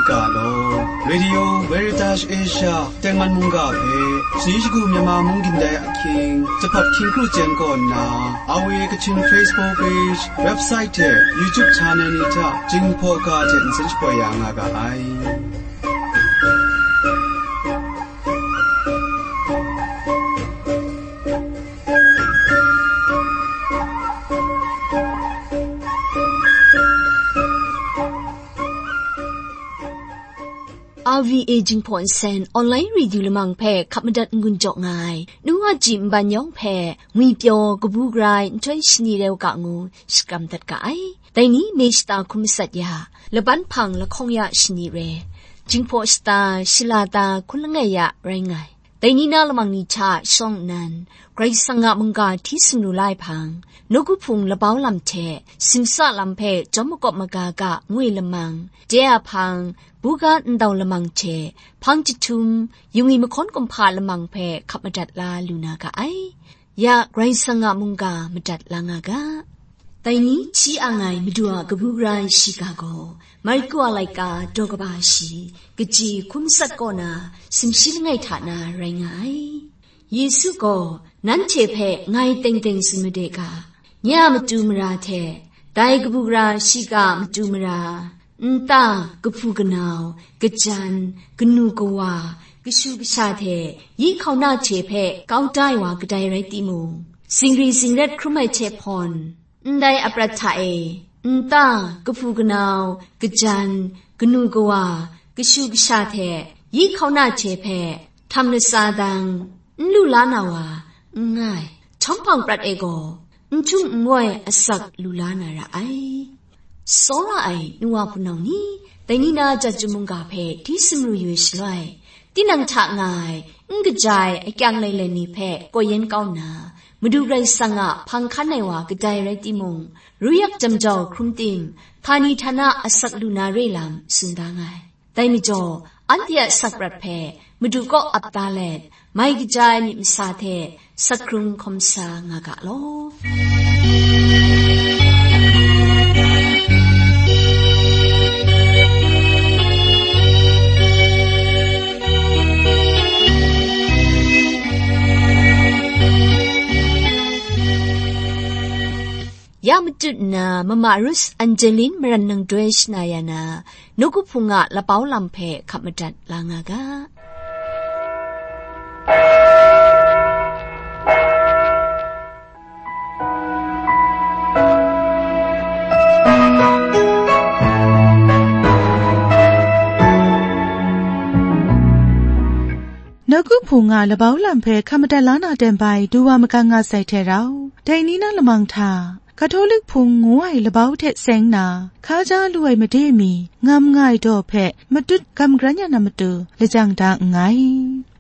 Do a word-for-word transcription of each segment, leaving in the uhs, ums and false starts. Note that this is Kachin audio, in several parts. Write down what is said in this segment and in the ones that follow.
Ga law. Radio Veritas Asia tengman mungga hpe, sani shagu Myanmar mung gindai ahkying, Jahpap hkying kru jen kaw nna, R V A Kachin Facebook page, website hte YouTube channel ni hta Jinghpaw ga hte nsen shapoi ya nga ga ai. R V A Jinghpaw Nsen online radio lamang hpe hkap madat n-gun jaw nga ai, nu wa ji nban yawng hpe ngwi pyaw kabu gara ai nhtoi shani rau ga ngu shakram dat ga ai. Dai ni me shata hkun masat ya, laban hpang lahkawng ya shani re, Jinghpaw shata shala ta hkun langai ya rai nga ai. Dai ni na lamang ni hta shawng nnan, Karai Kasang a mungga hti sumru la ai hpang, nawku hpung labau lam hte simsa lam hpe jawm makawp maga ga ngoi lamang, de a hpang, buga ndau lamang hte hpang jahtum, yungwi mahkawn kumhpa lamang hpe hkap madat la lu na ga ai. Ya Karai Kasang a mungga madat la nga ga. Dai ni hti ang ai Madu a kabu gara ai shiga gaw, Marku a laika daw kaba shi, kaji hkun masat kaw na, sumshi langai hta na rai nga ai. Yesu gaw, "Nanhte hpe ngai teng teng tsun made ga, nye a matu mara hte, dai kabu gara shiga a matu mara, nta, kahpu kanau, kajan, kanu kawa, kashu kasha hte yi hkauna hte hpe kau da ai wa kadai rai timung, zingri zingrat hkrum ai hte hpawn, ndai aprat hta e, nta, kahpu kanau, kajan, kanu kawa, kashu kasha hte yi hkauna hte hpe htam latsa dang, n lu la na wa n nga ai, htawm hpang prat e gaw, n htung n wai asak lu la na ra ai." Tsawra ai nu wa hpunau ni, dai ni na Chyum mungga hpe hti sumru yu ai shaloi, tinang hta nga ai, n kaja ai akyang lailen ni hpe kawyen kau nna, Madu Karai Kasang a hpang hkan ai wa kadai rai timung, ruyak jam jau hkrum tim, htani htana asak lu na re lam tsun da nga ai. Dai majaw, anhte a asak prat hpe Madu kaw ap da let, mai kaja ai myit masa hte sak hkrung hkawm sa nga ga law. Ya matut nna, Mama Ruth Angeline maran nang doi shana ya na, nawku hpung a labau lam hpe hkap madat la nga ga. Nawku hpung a labau lam hpe hkap madat la na ten bai du wa magang nga sai hte rau, dai ni na lamang hta, Katolik Hpung ngu ai labau hte seng na, hkaja lu ai made mi ngam nga ai daw hpe matut gam gran ya na matu lajang da nngai.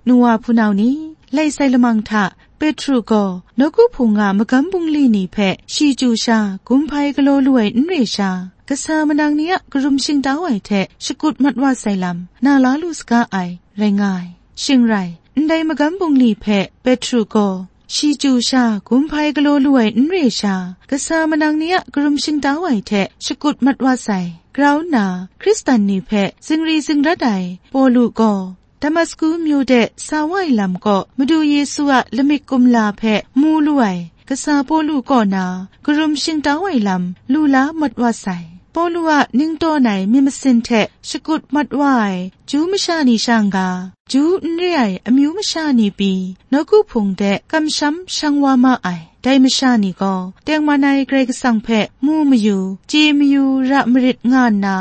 Nu wa hpunau ni, lai sai lamang hta, Petru gaw nawku hpung a magam bungli ni hpe shi chyu sha gumhpai galaw lu ai n re sha, kasa manang ni a karum shingtau ai hte shakut mat wa sai lam, na la lu saga ai, rai nga ai. Shing rai, ndai magam bungli hpe Petru gaw, shi chyu sha gumhpai galaw lu ai n re sha, kasa manang ni a karum shingtau ai hte shakut mat wa sai. Grau nna, Hkristan ni hpe zingri zingrat ai Pawlu gaw, Damasku myu de sa wa ai lam kaw, Madu Yesu a lamik kumla hpe mu lu ai, kasa Pawlu kaw na, karum shingtau ai lam, lu la mat wa sai. Pawlu a ning tawn ai myit masin hte shakut mat wa ai, Ju masha ni shang ga, Ju n re ai amyu masha ni pyi, nawku hpung de kamsham shang wa ma ai. Dai masha ni gaw, tengman ai Karai Kasang hpe mu mayu, chye mayu ra marit nga nna,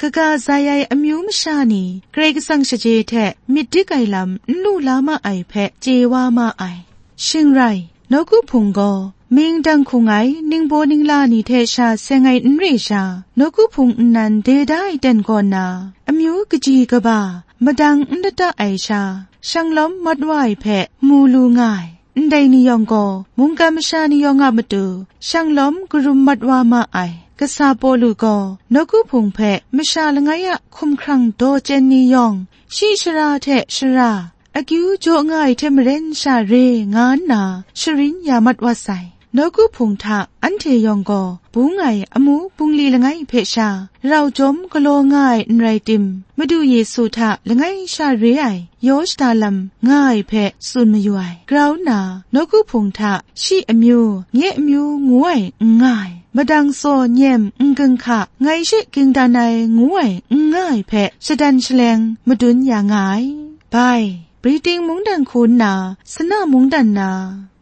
kaga zai ai amyu masha ni Karai Kasang shaje hte myit dik ai lam n lu la ma ai hpe chye wa ma ai. Shing rai, nawku hpung gaw, mying dang hkung ai ningbaw ningla ni hte sha seng ai n re sha, nawku hpung nnan de da ai ten kaw na, amyu kaji kaba, madang n lata ai sha, shanglawm mat wa ai hpe mu lu nga ai. Ndai ni yawng gaw, mungkan masha ni yawng a matu, shanglawm karum mat wa ma ai. Kasa Pawlu gaw, nawku hpung hpe masha langai a hkumhkrang daw chyen ni yawng, shi shara hte shara, akyu jaw nga ai hte maren sha re nga nna sharin ya mat wa sai. Nawku Hpung hta anhte yawng gaw bung ai amu bungli langai hpe sha rau jawm galaw nga ai n rai tim, Madu Yesu hta langai sha re ai yaw shada lam nga ai hpe tsun mayu ai. Grau nna, Nawku Hpung hta shi amyu, nye amyu ngu ai n nga ai, madang tsaw nyem n ginhka, ngai she ging dan ai ngu ai n nga ai hpe shadan shaleng madun ya nga ai. Bai, Britain mungdan hku nna, Sana mungdan na,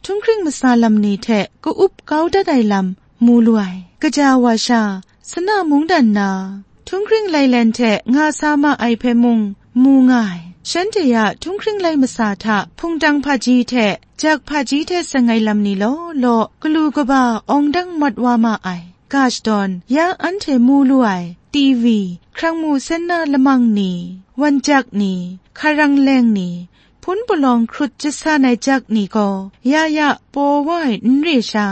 htunghkring masa lam ni hte ka-up kau dat ai lam mu lu ai. Kaja wa sha, Sana mungdan na, htunghkring lailen hte nga sa ma ai hpe mung mu nga ai. Shanhte a htunghkring lai masa hta hpungtang hpaji hte jak hpaji hte seng ai lam ni law law, galu kaba awng dang mat wa ma ai. Ga shadawn, ya anhte mu lu ai, T V, hkrang mu sen na lamang ni, wan jak ni, hkarang leng ni, hpun palawng hkrut jasan ai jak ni gaw, ya ya paw wa ai n re sha,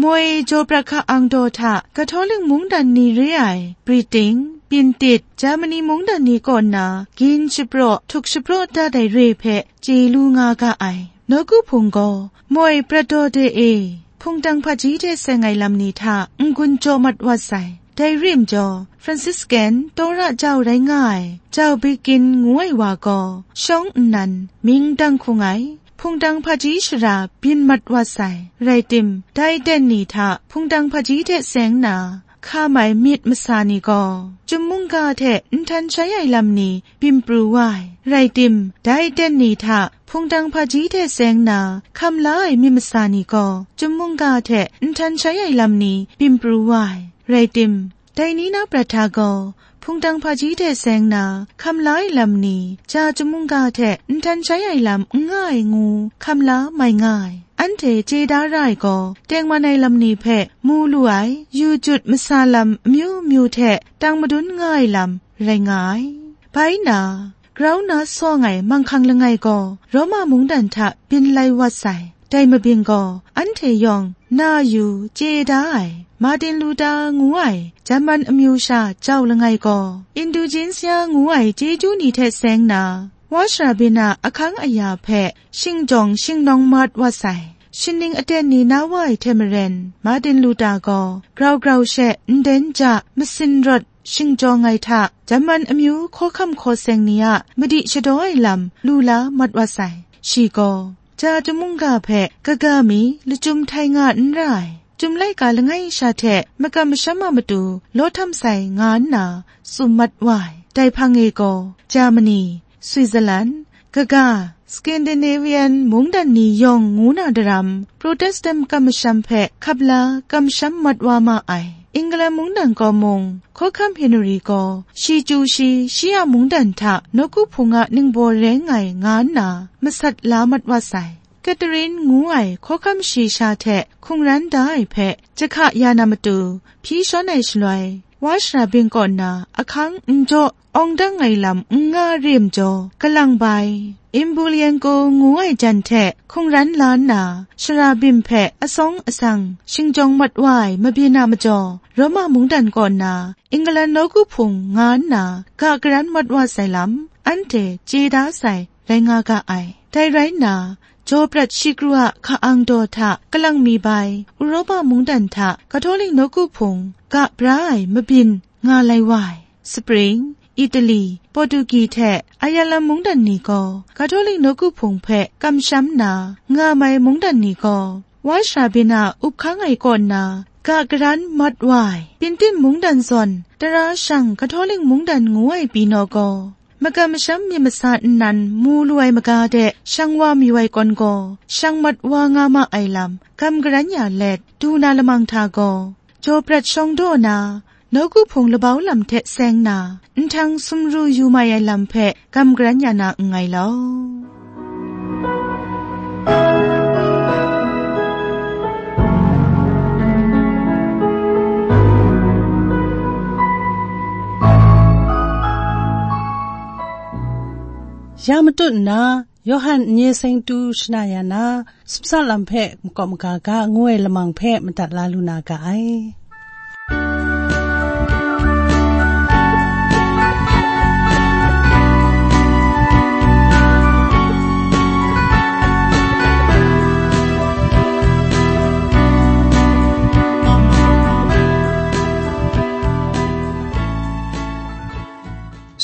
moi jaw prat hka-ang daw hta Kahtawlik mungdan ni re ai, Britain, Pintit, Germany mungdan ni kaw nna gin shapraw, htuk shapraw dat ai re hpe chye lu nga ga ai. Nawku Hpung gaw, moi prat daw de e, hpungtang hpaji hte seng ai lam ni hta n-gun jaw mat wa sai. Dai rim jaw, Franciscan tawra jau rai nga ai, Jau Bikin ngu ai wa gaw, shawng nnan, mying dang hkung ai, hpungtang hpaji shara byin mat wa sai. Rai tim, dai ten ni hta hpungtang hpaji hte seng nna, hka mai myit masa ni gaw, chyum mungga hte nhtan shai ai lam ni byin pru wa ai. Rai tim, dai ten ni hta hpungtang hpaji hte seng nna hkam la ai myit masa ni gaw, chyum mungga hte nhtan shai ai lam ni byin pru wa ai. Rai tim, dai ni na prat hta gaw, hpungtang hpaji hte seng nna hkam la ai lam ni, ja chyum mungga hte nhtan shai ai lam n nga ai ngu hkam la mai nga ai. Anhte chye da ra ai gaw, tengman ai lam ni hpe mu lu ai, yu jut masa lam amyu myu hte tang madun nga ai lam rai nga ai. Bai nna, grau na sawng ai manghkang langai gaw Roma mungdan hta byin lai wat sai. Dai mabyin gaw, anhte yawng na yu chye da ai, Martin Luther ngu ai German amyu sha jau langai gaw, Indulgensia ngu ai chyeju ni hte seng nna, wa shara byin a ahkang aya hpe shingjawng shingnawng mat wa sai. Shaning aten ni na wa ai hte maren, Martin Luther gaw grau grau she nden ja masin rawt shingjawng ai hta, German amyu hkawhkam hkaw seng ni a madi shadaw ai lam lu la mat wa sai. Shi gaw, ja chyum mungga hpe kaga mi lachyum htai nga n ra ai, chyum laika langai sha hte makam masham a matu law htam sai nga nna tsun mat wa ai. Dai hpang e gaw, Germany, Switzerland, kaga, Scandinavian mungdan ni yawng ngu na daram, Protestant makam masham hpe hkap la kamsham mat wa ma ai. England mungdan kaw mung, Hkawhkam Henry gaw, shi chyu shi, shi a mungdan hta nawku hpung a ningbaw rai nngai nga nna, masat la mat wa sai. Catherine ngu ai hkawhkam shayi sha hte hkungran da ai hpe, jahka ya na matu, hpyi shawn ai shaloi, wa shara byin kaw nna ahkang n jaw, awng dang ai lam n nga re majaw, kalang bai, Emelianenko ngu ai jan hte hkungran la nna, shara byin hpe asawng asang shingjawng mat wa ai mabyin a majaw, Roma mungdan kaw nna, England nawku hpung nga nna, ga garan mat wa sai lam, anhte chye da sai rai nga ga ai. Dai rai nna, jaw prat shikru a hka-ang daw hta kalang mi bai, Uropa mungdan hta Kahtawlik nawku hpung ga bra ai mabyin nga lai wa ai. Spring, Italy, Portugi hte Ireland mungdan ni gaw Kahtawlik nawku hpung hpe kamsham nna nga mai mungdan ni gaw, wa shara byin a up hkang ai kaw nna ga garan mat wa ai. Pintin mungdan zawn tara shang Kahtawlik mungdan ngu ai pyi naw gaw, makam masham myit masa nnan mu lu ai maga de shang wa mayu ai kawn gaw, shang mat wa nga ma ai lam gam garan ya let, du na lamang hta gaw, jaw prat shawng daw na, nawku hpung labau lam hte seng na, nhtang sumru yu mai ai lam hpe gam garan ya na nngai law. Ya matut nna, Yawhan n-ye seng tu shana ya na, sumsa lam hpe makawp maga ga ngu ai lamang hpe madat la lu na ga ai.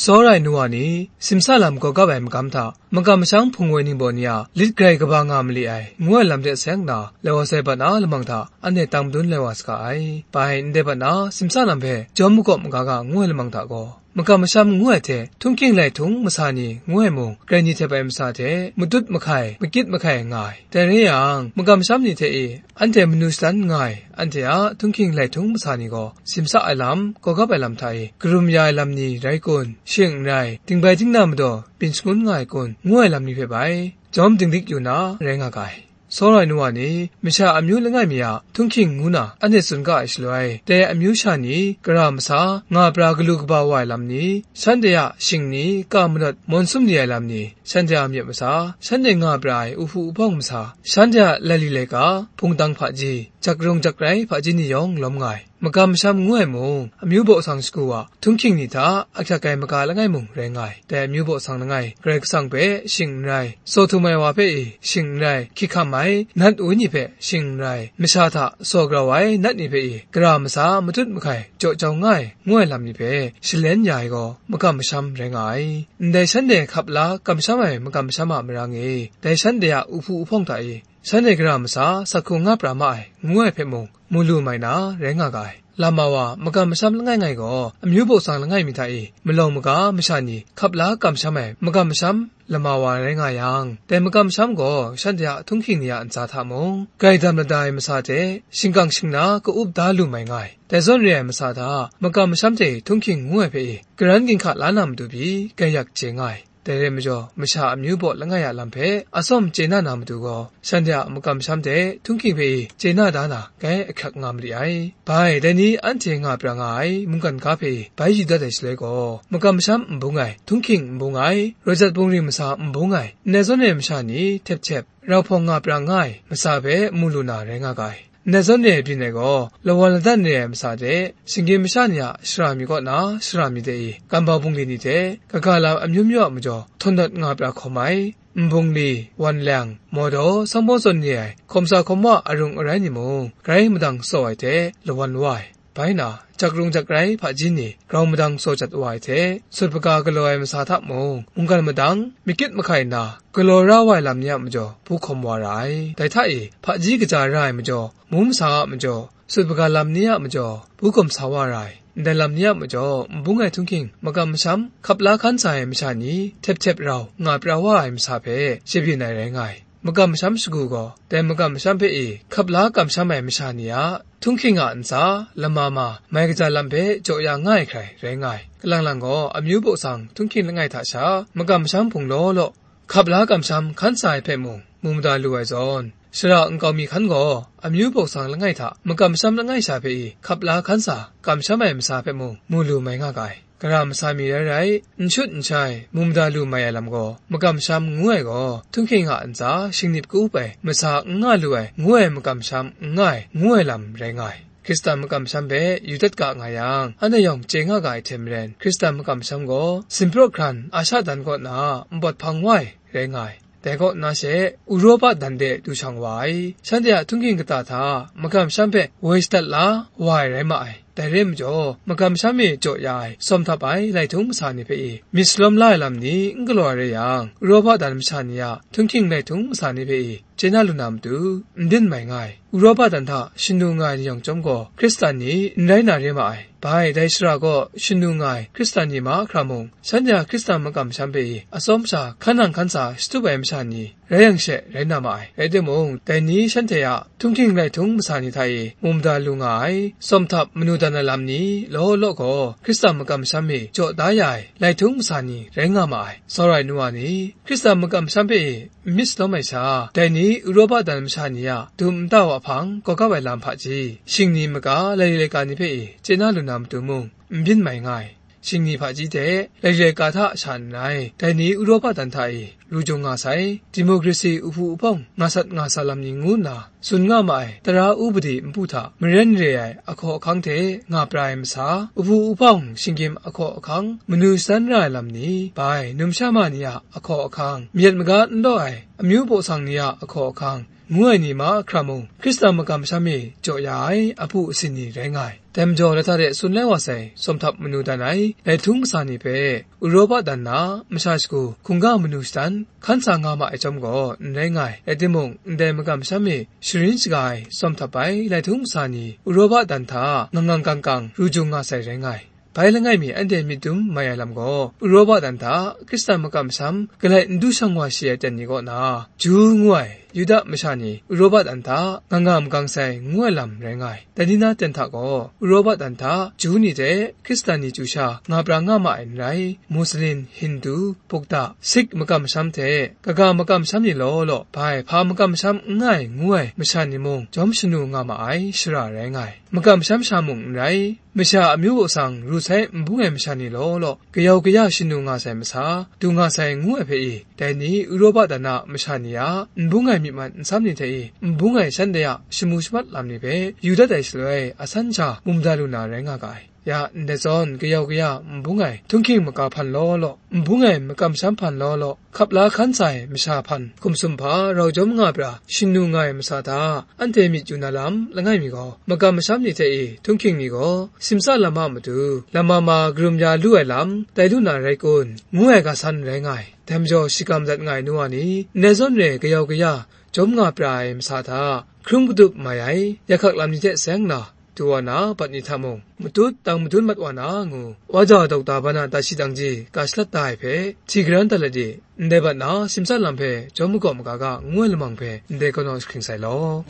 Tsawra ai nu wa ni, simsa lam gawgap ai magam hta, makam masham hpung woi ningbaw ni a lit grai kaba nga mali ai, ngu ai lam de seng nna, lawt sai bat na lamang hta, anhte tang madun lai wa saga ai. Bai ndai bat na, simsa lam hpe jawm makawp maga ga ngu ai lamang hta gaw, makam masham ngu ai hte, htunghking lai htung masa ni ngu ai mung, grai ni htep ai masa hte, matut mahkai, makit mahkai nga ai. Dai re yang, makam masham ni hte e, anhte manu shadan nga ai, anhte a htunghking lai htung masa ni gaw, simsa ai lam, gawgap ai lam hta e, karum ya ai lam ni rai kun, shing n rai, dingbai dingna madaw, byin shangun nga ai kun, ngu ai lam ni hpe bai, jawm dinglik yu na, rai nga ga ai. Tsawra ai nu wa ni, masha amyu langai mi a htunghking ngu na anhte tsun ga ai shaloi, dai amyu sha ni, gara masa, nga pra galu kaba wa ai lam ni, shanhte a shing ni, ka manawt mawn sum li ai lam ni, shanhte a myit masa, shanhte nga pra ai uhpu uhpawng masa, shanhte a laili laika, hpungtang hpaji, jakrung jakrai hpaji ni yawng lawm nga ai. Makam masham ngu ai mung, amyu baw sang shagu wa, htunghking ni hta, ahkyak ai maga langai mung rai nga ai. Dai amyu baw sang langai, Karai Kasang hpe shing n rai, saw htum ai wa hpe e shing n rai, hkyihkam ai, nat woi ni hpe shing n rai, masha hta saw grau ai nat ni hpe e, gara masa matut mahkai jaw jau nga ai, ngu ai lam ni hpe shalen ya ai gaw, makam masham rai nga ai. Ndai shanhte hkap la kamsham ai makam masham a marang e, dai shanhte a uhpu uhpawng hta e, shanhte gara masa sak hkrung nga pra ma ai, ngu ai hpe mung, mu lu mai na rai nga ga ai. Lama wa makam masham langai ngai gaw, amyu baw sang langai mi hta e, malawng maga masha ni hkap la kamsham ai makam masham lama wa rai nga yang, dai makam masham gaw shanhte a htunghking ni a ntsa hta mung, grai dam lada ai masa hte, shingkang shingna ka-up da lu mai nga ai. Dai zawn re ai masa hta, makam masham hte htunghking ngu ai hpe e, karan ginhka la na matu pyi, grai yak chye nga ai. Dai rai majaw, masha amyu baw langai a lam hpe atsawm chye na na matu gaw, shanhte a makam masham hte htunghking hpe e chye na da na, grai ahkyak nga mali ai. Bai, dai ni anhte nga pra nga ai mungkan ga hpe e bai yu dat ai shaloi gaw, makam masham n bung ai, htunghking n bung ai, raw jat bungri masa n bung ai, ndai zawn e masha ni htep htep, rau hpawng nga pra nga ai masa hpe mu lu na rai nga ga ai. Ndai zawn e byin ai gaw, lawan ladan re ai masa hte, shinggyim masha ni a shara mi kaw na shara mi de i, kambau bungli ni hte, kaga lam amyu myu a majaw, htawn dat nga pra hkawm ai, nbungli, wan leng, mawdaw, sangbawng zawn ni ai, hkawm sa hkawm wa arung arai ni mung, grai madang tsaw ai hte, lawan wa ai. Bai na, jakrung jakrai hpaji ni, grau madang tsaw jat wa ai hte, sut hpaga galaw ai masa hta mung, mungkan madang, makit mahkai na, galaw ra wa ai lam ni a majaw, bu hkawm wa ra ai. Dai hta e, hpaji kaja ra ai majaw, mu masa a majaw, sut hpaga lam ni a majaw, bu hkawm sa wa ra ai. Ndai lam ni a majaw, n bung ai htunghking, makam masham, hkap la hkan sa ai masha ni, htep htep rau, nga pra wa ai masa hpe, shabyin ai rai nga ai. Makam masham shagu gaw, dai makam masham hpe e hkap la kamsham ai masha ni a htunghking a ntsa, lama ma, mai kaja lam hpe jaw ya nga ai hkrai rai nga ai. Kalang lang gaw, amyu baw sang htunghking langai hta sha, makam masham hpung law law, hkap la kamsham hkan sa ai hpe mung, mu mada lu ai zawn, shara nkau mi hkan gaw, amyu baw sang langai hta makam masham langai sha hpe e hkap la hkan sa kamsham ai masa hpe mung, mu lu mai nga ga ai. Gara masa mi rai rai, n shut n shai, mu mada lu mai ai lam gaw, makam masham ngu ai gaw, htunghking a ntsa shingnip ka-up ai, masa n nga lu ai, ngu ai makam masham n nga ai, ngu ai lam rai nga ai. Hkristan makam masham hpe yu dat ga nga yang, anhte yawng chye nga ga ai hte maren, Hkristan makam masham gaw, Sinpraw hkran Asha dan kaw na npawt hpang wa ai rai nga ai. Dai kaw na she, Uropa dan de du shang wa ai. Shanhte a htunghking kata hta, makam masham hpe woi shadat la wa ai rai ma ai. Dai re majaw, makam masham e jaw ya ai, sawm htap ai lai htung masa ni hpe e, myit salawm la ai lam ni n galaw ai rai yang, Uropa dan masha ni a htunghking lai htung masa ni hpe e, chye na lu na matu, n byin mai nga ai. Uropa dan hta shanu nga ai ni yawng chyawm gaw, Hkristan ni n rai na re ma ai. Bai, dai shara gaw shanu nga ai Hkristan ni mahkra mung, shanhte a Hkristan makam masham hpe e atsawm sha hkan nang hkan sa shatup ai masha ni rai yang she rai na ma ai. Rai timung, dai ni shanhte a htunghking lai htung masa ni hta e mu mada lu nga ai, sawm htap manu dan ai lam ni law law gaw, Hkristan makam masham e jaw da ya ai lai htung masa ni rai nga ma ai. Tsawra ai nu wa ni, Hkristan makam masham hpe e n myit salawm ai sha, dai ni Uropa dan masha ni a dum nta wa hpang gawgap ai lam hpaji, shingni maga laika ni hpe e chye na lu na matu mung, n byin mai nga ai. Shingni hpaji hte laika hta sha n rai, dai ni Uropa dan hta e ru jung nga sai, democracy uhpu uhpawng nga sat nga sa lam ni ngu nna tsun nga ma ai tara upadi npu hta maren re ai ahkaw ahkang hte nga pra ai masa, uhpu uhpawng shinggyim ahkaw ahkang, manu shadan ra ai lam ni, bai, numsha ma ni a ahkaw ahkang, myit maga n law ai amyu baw sang ni a ahkaw ahkang, ngu ai ni mahkra mung, Hkristan makam masham e jaw ya ai apu asin ni rai nga ai. Dai majaw, lata de tsun lai wa sai, sawm htap manu dan ai, lai htung kasa ni hpe, Uropa dan na masha shagu hkungga manu shadan hkan sa nga ma ai chyawm gaw n rai nga ai. Rai timung, ndai makam masham e sharin shaga ai sawm htap ai lai htung kasa ni, Uropa dan hta ngang ngang kang kang ru jung nga sai rai nga ai. Bai langai mi anhte myit dum mai ai lam gaw, Uropa dan hta Hkristan makam masham galai n du shang wa shi ai ten ni kaw na, Ju ngu ai Yuda masha ni Uropa dan hta nga nga makang sai ngu ai lam rai nga ai. Dai ni na ten hta gaw, Uropa dan hta Ju ni hte Hkristan ni chyu sha nga pra nga ma ai n rai, Muslin, Hindu, Bukta, Sikh makam masham hte kaga makam masham ni law law, bai hpa makam masham n nga ai ngu ai masha ni mung jawm shanu nga ma ai shara rai nga ai. Makam masham sha mung n rai, masha amyu atsang ru sai n bung ai masha ni law law, kayau kaya shanu nga sai masa, du nga sai ngu ai hpe i, dai ni Uropa dan a masha ni a n bung ai myi man nsam ni hte i, n bung ai shanhte a shamu shamat lam ni hpe yu dat ai shaloi, asan sha mu mada lu na rai nga ga ai. Ya, ndai zawn kayau kaya n bung ai htunghking maga hpan law law, n bung ai makam masham hpan law law, hkap la hkan sa ai masha hpan hkum sumhpa rau jawm nga pra shanu nga ai masa hta, anhte myit yu na lam langai mi gaw, makam masham ni hte i htunghking ni gaw simsa lam a matu lama ma karum ya lu ai lam tai lu na rai kun, ngu ai ga san rai nga ai. Dai majaw, shagam dat nga ai nu wa ni, ndai zawn re kayau kaya jawm nga pra ai masa hta, hkrung katup mai ai, yakhak lam ni hte seng na, du wa na, bat ni hta mung, matut dang madun mat wa na ngu, wa ja dokta ba na dat shi dang ji ga shalat da ai hpe, hti garan dat let di, ndai bat na simsa lam hpe jawm magaw maga ga ngu ai lamang hpe ndai kanaw jahkring sai law.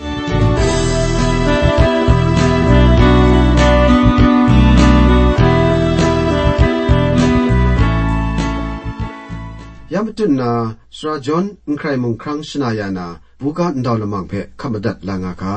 Ya matut na, Sara John N Hkrai Mung Hkrang shana ya na, buga ndau lamang hpe hkap madat la nga ga.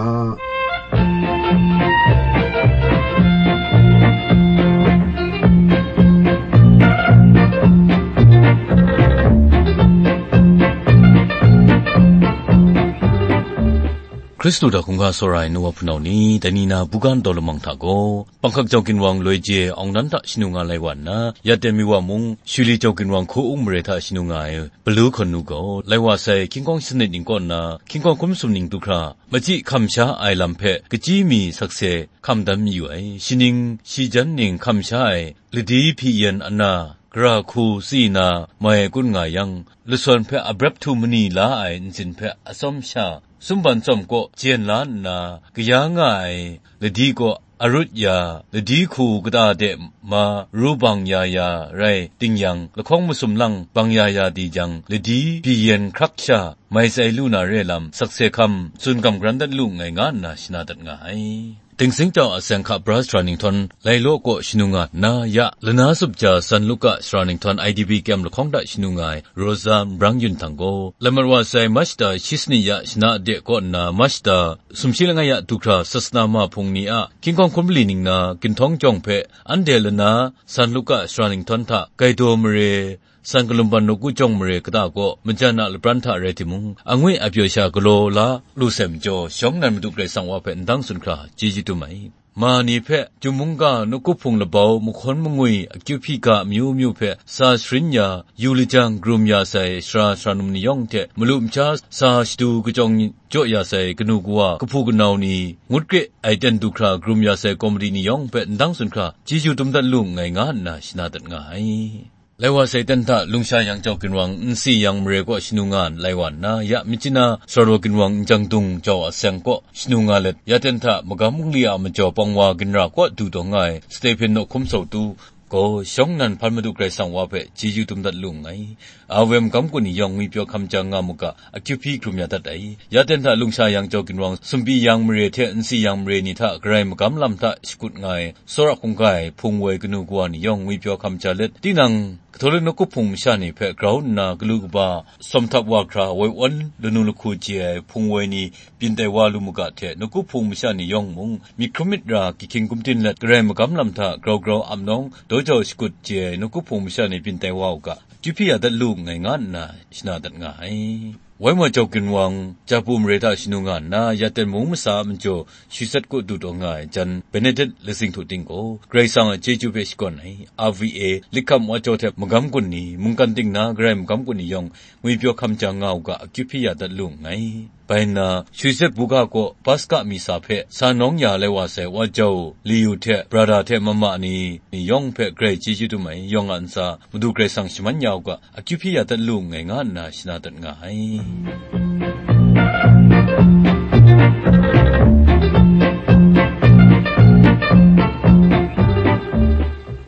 Hkristu hta hkungga tsawra ai nu wa hpunau ni, dai ni na buga ndau lamang hta gaw, Panghkak jau ginwang loi je awng nan hta shanu nga lai wa nna, ya ten mi wa mung, Shuli jau ginwang hku ung mare hta shanu nga ai, Palu hkawn nu gaw, lai wa sai, hkying hkawng sanit ning kaw nna, hkying hkawng hkum sum ning du hkra, machyi hkam sha ai lam hpe, kachyi mi sakse hkam dan mayu ai, shi ning, shi jan ning hkam sha ai, ladi hpyi yan ana, gara hku tsi na, mai kun nga yang, lasawn hpe abrep htu mani la ai ntsin hpe atsawm sha, sumban tsawm kaw jen la nna, kaya nga ai, ladi kaw arut ya, ladi hku kata de ma ru bang ya ya rai ting yang, lahkawng masum lang bang ya ya di jang, ladi byi yen hkrak sha mai tsai lu na re lam, sakse hkam tsun gam garan dat lu nngai nga nna shana dat nga ai. Dingsing jau a seng hka bra sara ninghtawng, lai law kaw shanu nga nna, ya lana sup ja San Luka sara ninghtawng I D P kyem lahkawng hta shanu nga ai, Rosa Nbrang Yun htang gaw, lai mat wa sai March da shi sanit ya shana de kaw nna March da sumshi langai ya du hkra sasana ma hpung ni a hkying hkawng hkum mali ning na ginhtawng jawng hpe anhte lana San Luka sara ninghtawng hta Gaidaw mare, San Kalumban nawku jawng mare kata kaw majan a lapran hta rai timung, angwi a pyaw sha galaw la lu sai majaw, shawng nnan Madu Karai Kasang wa hpe ndang tsun hkra chyeju dum ai. Ma ni hpe, Chyum mungga nawku hpung labau, mahkawn mangwi, akyu hpyi ga amyu myu hpe sa sharin ya, yu lajang, karum ya sai sara sara num ni yawng hte, malu masha sa shadu kachyawng jaw ya sai kanu kawa, kahpu kanau ni, ngut kre ai ten du hkra karum ya sai komiti ni yawng hpe ndang tsun hkra, chyeju dum dat lu nngai nga nna shana dat nga ai. Lai wa sai ten hta Lungsha Yang Jau ginwang Nsi Yang mare kaw shanu nga lai wa nna, ya Myitkyina Sarawa ginwang Njang Dung Jau a seng kaw shanu nga let, ya ten hta magam bungli a majaw pawng wa ginra kaw du taw nga ai Stephen Nawhkum Sawtu gaw, shawng nnan hpan Madu Karai Kasang wa hpe chyeju dum dat lu nngai. A W M magam kun ni yawng ngwipyaw hkam jang nga mu ga, akyu hpyi hkrum ya dat ai. Ya ten hta Lungsha Yang Jau ginwang Sumpi Yang mare hte Nsi Yang mare ni hta Karai magam lam hta shakut nga ai, tsawra hkungga ai hpung woi kanu kawa ni yawng ngwipyaw hkam ja let, tinang Katolik nawku hpung masha ni hpe grau nna galu kaba, sawm htap wa hkra woi awn lanu lahku chye ai hpung woi ni byin tai wa lu mu ga hte, nawku hpung masha ni yawng mung, myit hkrum myit ra, gyi hkying gumdin let, Karai magam lam hta grau grau ap nawng, daw jau shakut chye ai nawku hpung masha ni byin tai wa u ga, akyu hpyi ya dat lu nngai nga nna shana dat nga ai. Waimaw Jau ginwang Japu mare hta shanu nga nna, ya ten mung masa a majaw shi sat kaw du taw nga ai jan Benedict Lasing Htu Ting gaw, Karai Kasang a chyeju hpe shakawn ai, R V A, Likham Wa Jau hte magam kun ni, mungkan ting na Karai magam kun ni yawng, ngwipyaw hkam jang nga u ga, akyu hpyi ya dat lu nngai. Bai nna, Shuizet buga kaw Paska misa hpe sa nawng ya lai wa sai wa jau, Liyu hte, Brada hte mama ni, ni yawng hpe grai chyeju dum ai, yawng a ntsa, Madu Karai Kasang shaman ya u ga, akyu hpyi ya dat lu nngai nga nna shana dat nga ai.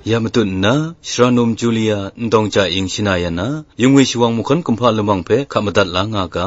Ya matut nna, Shara Num Julia, Ndawng Ja Ing shana ya na, Yungwi Shawang mahkawn kumhpa lamang hpe hka madat la nga ga.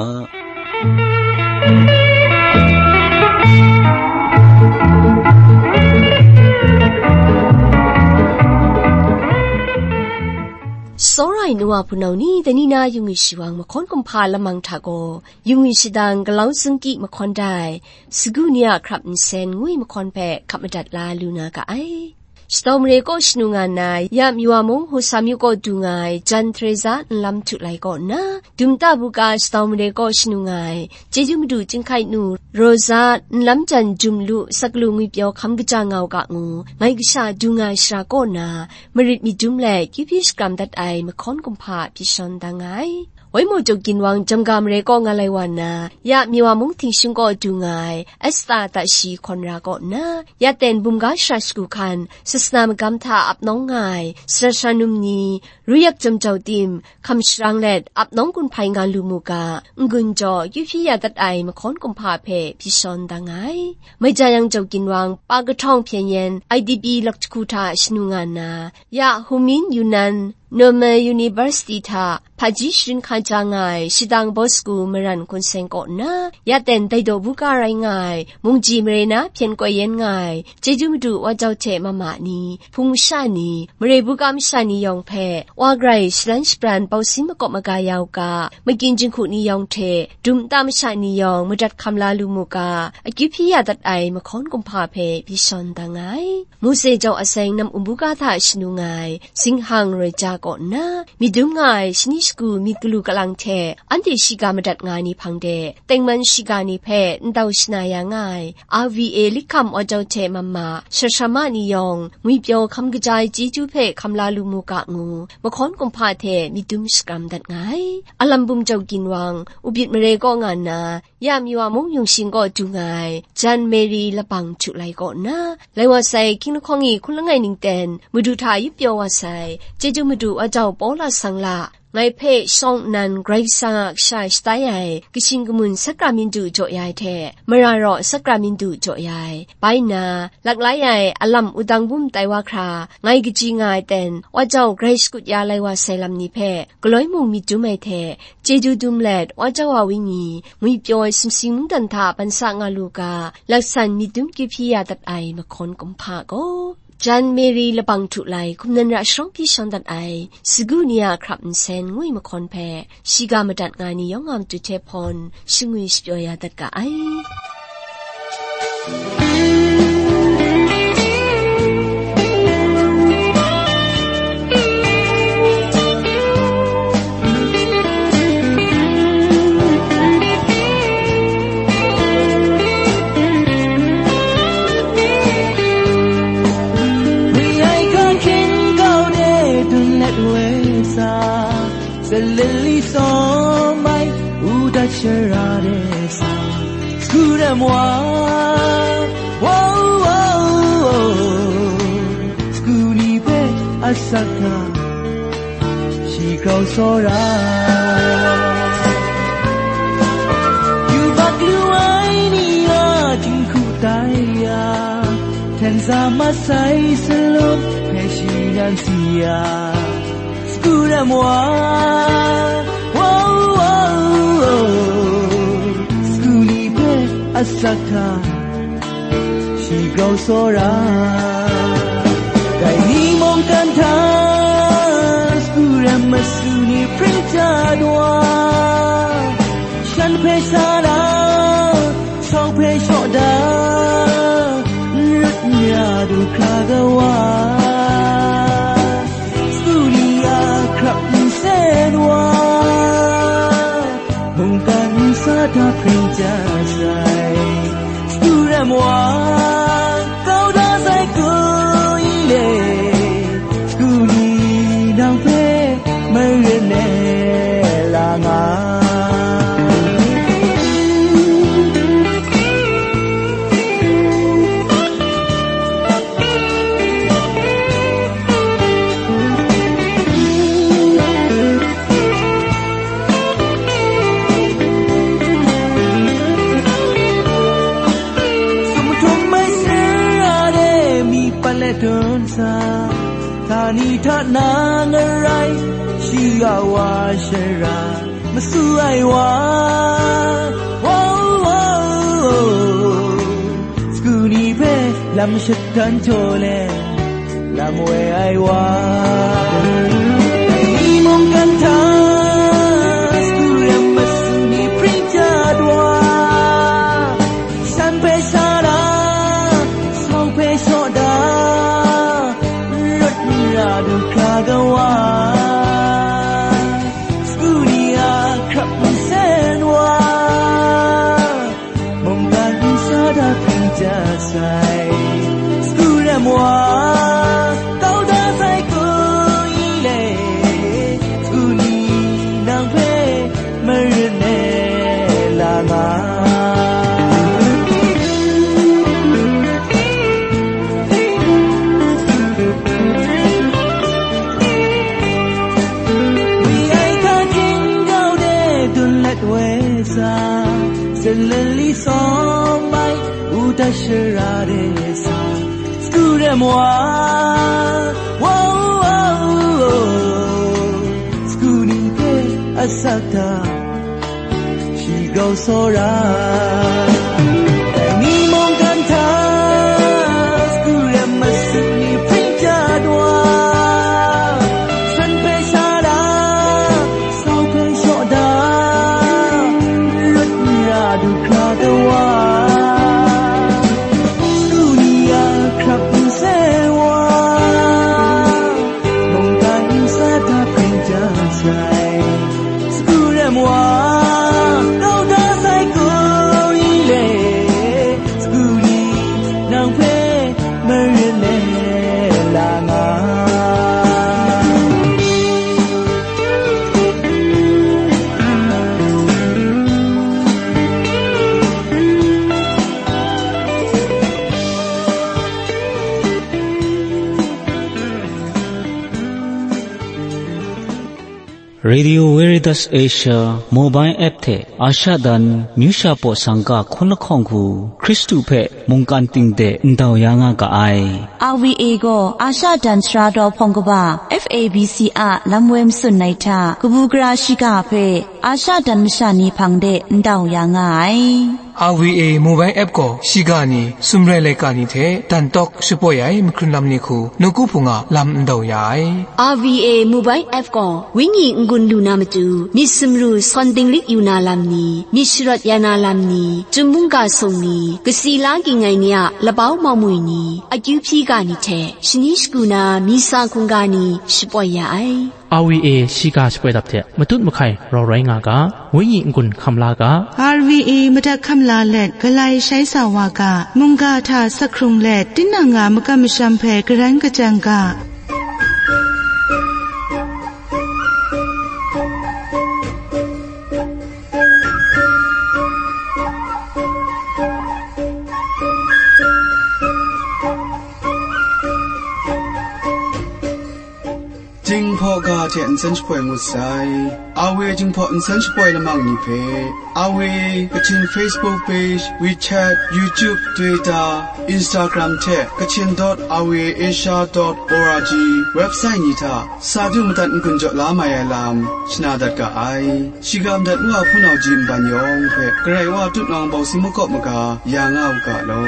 Tsawra ai nu wa hpunau ni, dai ni na Yungwi Shawang mahkawn kumhpa lamang hta gaw, Yungwi shadang Galau Zungki mahkawn dai, sagu ni a hkrap nsen ngwi mahkawn hpe hka madat la lu na ga ai. Shadau mare kaw shanu nga nna, ya Miwa mung Husam yu kaw du nga ai Jan Teresa nlam htu lai kaw nna, Dumta buga Shadau mare kaw shanu nga ai, Chyeju Madu Chyinghkai nu Rosa nlam jan jum lu saklu ngwipyaw hkam kaja nga u ga ngu, ngai kasha du nga ai shara kaw na, marit myit dum let, kyu hpyi shakram dat ai mahkawn kumhpa pyi shawn da nga ai. Waimaw Jaw Ginwang Jamga mare kaw nga lai wa na, ya Miwa mung Htingshung kaw du nga ai, Esta Tashi Hkawn Ra kaw nna, ya ten bumga shara shagu hkan, sasana magam hta ap nawng nga ai, sara sara num ni, Ruyak Jam Jau Tim, hkam sharang let, ap nawng gun hpai nga lu mu ga, n-gun jaw, kyu hpyi ya dat ai mahkawn kumhpa hpe pyi shawn da nga ai. Maija Yang Jaw Ginwang, Pa Kahtawng Hpyen Yen, I D P lak jahku hta shanu nga nna, ya Humin Yunan, Normal University hta, hpaji sharin hka ja nga ai, Shadang Bosku Maran Hkun Seng kaw nna, ya ten dai daw buga rai nga ai, Mungji mare na hpyen koi yen nga ai, Chyeju Madu Wa Jau hte mama ni, hpung masha ni, mare buga masha ni yawng hpe, Wa grai shalan shabran bau sin makawp maga ya u ga, magyin jinghku ni yawng hte, dum nta masha ni yawng madat hkam la lu mu ga, akyu hpyi ya dat ai mahkawn kumhpa hpe pyi shawn da nga ai. Mose Jau Aseng nam um buga hta shanu nga ai, Zinghang Roi Ja kaw nna, myit dum nga ai shani shagu myit galu kalang hte, anhte shiga madat nga ai ni hpang de, tengman shiga ni hpe ndau shana ya nga ai, R V A Likham Wa Jau hte mama, sara sara ma ni yawng, ngwipyaw hkam kaja ai chyeju hpe hkam la lu mu ga ngu, mahkawn kumhpa hte myit dum shakram dat nga ai. Alam bum Jau Ginwang, Ubit mare kaw nga nna, ya Miwa mung Yung Shing kaw du nga ai, Jan Mary Labang htu lai kaw nna, lai wa sai, hkying lahkawng e hkun langai ning ten, Madu hta yup pyaw wa sai, Chyeju Madu Wa Jau Paula Sangla, ngai hpe shawng nnan Karai Kasang a kasha shatai ai, Kashing Kamun Sakramintu jaw ya ai hte, mara raw Sakramintu jaw ya ai, bai nna, laklai ai alam wudang bum tai wa hkra, ngai kaji nga ai ten, Wa Jau grai shakut ya lai wa sai lam ni hpe, galoi mung myit dum ai hte, chyeju dum let, Wa Jau a wenyi, ngwipyaw ai sumsing mungdan hta ban sa nga lu ga, laksan myit dum kyu hpyi ya dat ai mahkawn kumhpa gaw, Jan Mary Labang htu lai, hkum nan ra sharawng pyi shawn dat ai, sagu ni a hkrap nsen ngwi mahkawn hpe, shiga madat nga ni yawng a matu hte hpawn, shangwi shapyaw ya dat ga ai. Wi ai hkan hkyen kau de dun let we sa, Salili sawm ai, udat shara de sa, Sku ram wa, wow, wow, wow. Sku ni hpe asak hta, shi grau tsawra. Yubak lu ai ni a jinghku tai ya, hten sa masai salum hpe shi nan si ya. Sku ram wa, wow, wow, wow. Sku ni hpe asak hta, shi grau tsawra. Dai ni mungkan hta, sku ram masu ni pring dat wa, shan hpe sa na, sau hpe shaw da, n rut n ya du hkra ga wa. Sku ni a hkrap nsen wa, mungkan nsa hta pring ja sai. Sku ram wa, kau da sai ku i le, sku ni nang hpe mai Ni hta na ngarai, shi a wa shara, masu ai wa, wa, wa, wa, sagu ni hpe lam shatan jaw let, lam woi ai wa. Dai ni mungkan hta, sagu rem masu ni pring jat wa, shan hpe sha da, sau hpe shaw da, rawt n ra du hkra ga wa, sagu ni a hkrap nsen wa, mungkan nsa da hpring ja sai, sagu rem wa, kau da sai hku i le, sagu ni nang hpe maren e la nga. Wi ai hta hkying grau de dun let woi sa, Salen li sawm ai uta shara de sa, sagu rem wa, wa, wa, wa, sagu ni hpe asak hta, shi grau tsawra. Dai ni mungkan hta, sagu rem masu ni hpring jat wa, shan hpe sha da, sau hpe shaw da, rawt n ra du hkra ga wa, sagu ni a hkrap nsen wa, mungkan nsa hta hpring ja sai, sagu rem wa, kau da sai hku i le, sagu ni nang hpe maren e la nga. Radio Veritas Asia mobile app hte Asha dan myu sha paw sangka hkun lahkawng hku Hkristu hpe mungkan ting de ndau ya nga ga ai. R V A gaw Asha dan sara daw hpawng kaba F A B C a lam woi matsun ai hta kabu gara shiga hpe Asha dan masha ni hpang de ndau ya nga ai. R V A mobile app gaw shiga ni, sumrai laika ni hte dan tawk shapoi ai mahkrun lam ni hku nawku hpung a lam ndau ya ai. R V A mobile app gaw wenyi n-gun lu na matu, myit sumru sawn dinglik yu na lam ni, myit sharawt ya na lam ni, chyum mungga sung ni, kasi la ging ai ni a labau mawmwi ni, akyu hpyi ga ni hte shani shagu na misa hkungga ni shapoi ya ai. R V A shiga shapoi dap hte matut mahkai rau rai nga ga, wenyi n-gun hkam la ga. R V A madat hkam la let galai shai sa wa ga, mungga hta sak hkrung let tinang a makam masham hpe garan kajang ga. Jinghpaw ga hte nsen shapoi ngut sai. R V A Jinghpaw nsen shapoi lamang ni hpe, R V A Kachin Facebook page, WeChat, YouTube, Twitter, Instagram hte Kachin dot R V A Asia dot O R G website ni hta sa du madat n-gun jaw la mai ai lam shana dat ga ai. Shiga madat wa hpunau ji nban yawng hpe Karai Wa tutnawng bawng si makawp maga ya nga u ga law.